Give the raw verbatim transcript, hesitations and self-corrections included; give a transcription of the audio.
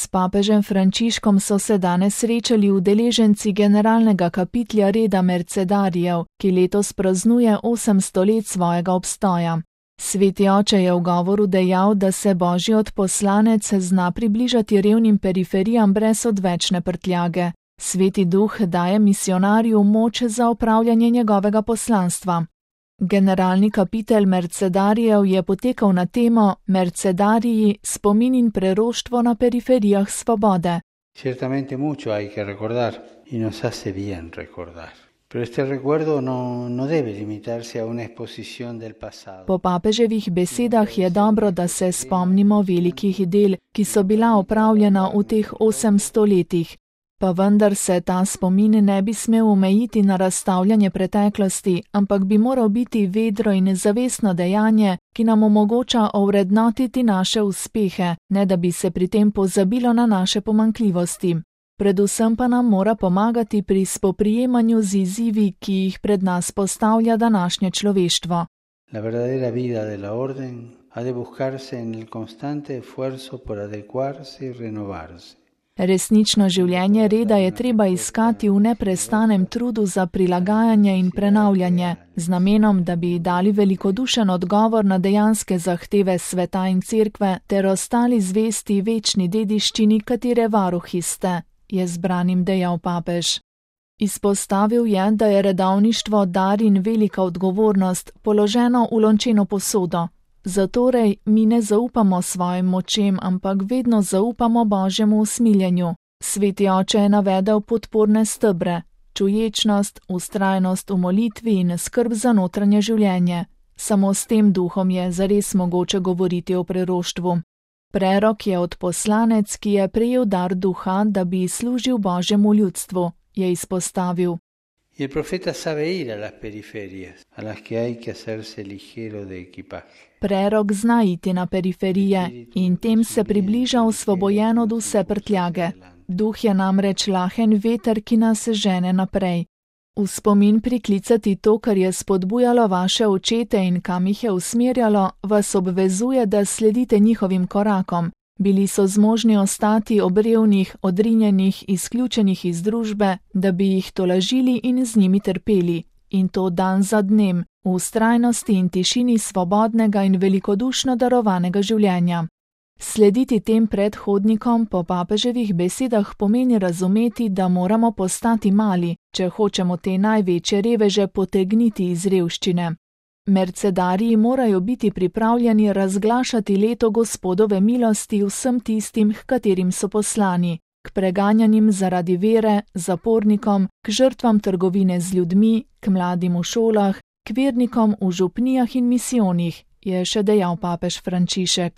S papežem Frančiškom so se danes srečali udeleženci generalnega kapitlja reda Mercedarijev, ki letos praznuje osemsto let svojega obstoja. Sveti oče je v govoru dejal, da se božji odposlanec zna približati revnim periferijam brez odvečne prtljage. Sveti duh daje misionarju moč za opravljanje njegovega poslanstva. Generalni kapitel Mercedarijev je potekal na temo Mercedariji, spomin in preroštvo na periferijah svobode. Ciertamente mucho hay que recordar y nos hace bien recordar. Pero este recuerdo no, no debe limitarse a una exposición del pasado. Po papeževih besedah je dobro, da se spomnimo velikih del, ki so bila opravljena v teh osemsto letih. Pa vendar se ta spomin ne bi smel omejiti na razstavljanje preteklosti, ampak bi moral biti vedro in zavestno dejanje, ki nam omogoča ovrednotiti naše uspehe, ne da bi se pri tem pozabilo na naše pomanjkljivosti. Predvsem pa nam mora pomagati pri spoprijemanju z izzivi, ki jih pred nas postavlja današnje človeštvo. La verdadera vida de la orden ha de buscarse en el constante esfuerzo por adecuarse y renovarse. Resnično življenje reda je treba iskati v neprestanem trudu za prilagajanje in prenavljanje, z namenom, da bi dali velikodušen odgovor na dejanske zahteve sveta in cerkve ter ostali zvesti večni dediščini, katere varuhi ste, je zbranim dejal papež. Izpostavil je, da je redovništvo dar in velika odgovornost, položeno v lončeno posodo. Zatorej mi ne zaupamo svojim močem, ampak vedno zaupamo Božjemu usmiljenju. Sveti oče je navedel podporne stebre, čuječnost, vztrajnost v molitvi in skrb za notranje življenje. Samo s tem duhom je zares mogoče govoriti o preroštvu. Prerok je odposlanec, ki je prejel dar duha, da bi služil Božjemu ljudstvu, je izpostavil. Y el profeta sabe ir a las periferias, a las que hay que hacerse ligero de equipaje. Prerok zna iti na periferije in tem se približa osvobojen od vse prtljage. Duh je namreč lahen veter, ki nas žene naprej. V spomin priklicati to, kar je spodbujalo vaše očete in kam jih je usmerjalo, vas obvezuje, da sledite njihovim korakom. Bili so zmožni ostati ob revnih, odrinjenih, izključenih iz družbe, da bi jih tolažili in z njimi trpeli. In to dan za dnem, v vztrajnosti in tišini svobodnega in velikodušno darovanega življenja. Slediti tem predhodnikom po papeževih besedah pomeni razumeti, da moramo postati mali, če hočemo te največje reveže potegniti iz revščine. Mercedariji morajo biti pripravljeni razglašati leto Gospodove milosti vsem tistim, k katerim so poslani, k preganjanim zaradi vere, zapornikom, k žrtvam trgovine z ljudmi, k mladim v šolah, k vernikom v župnijah in misijonih, je še dejal papež Frančišek.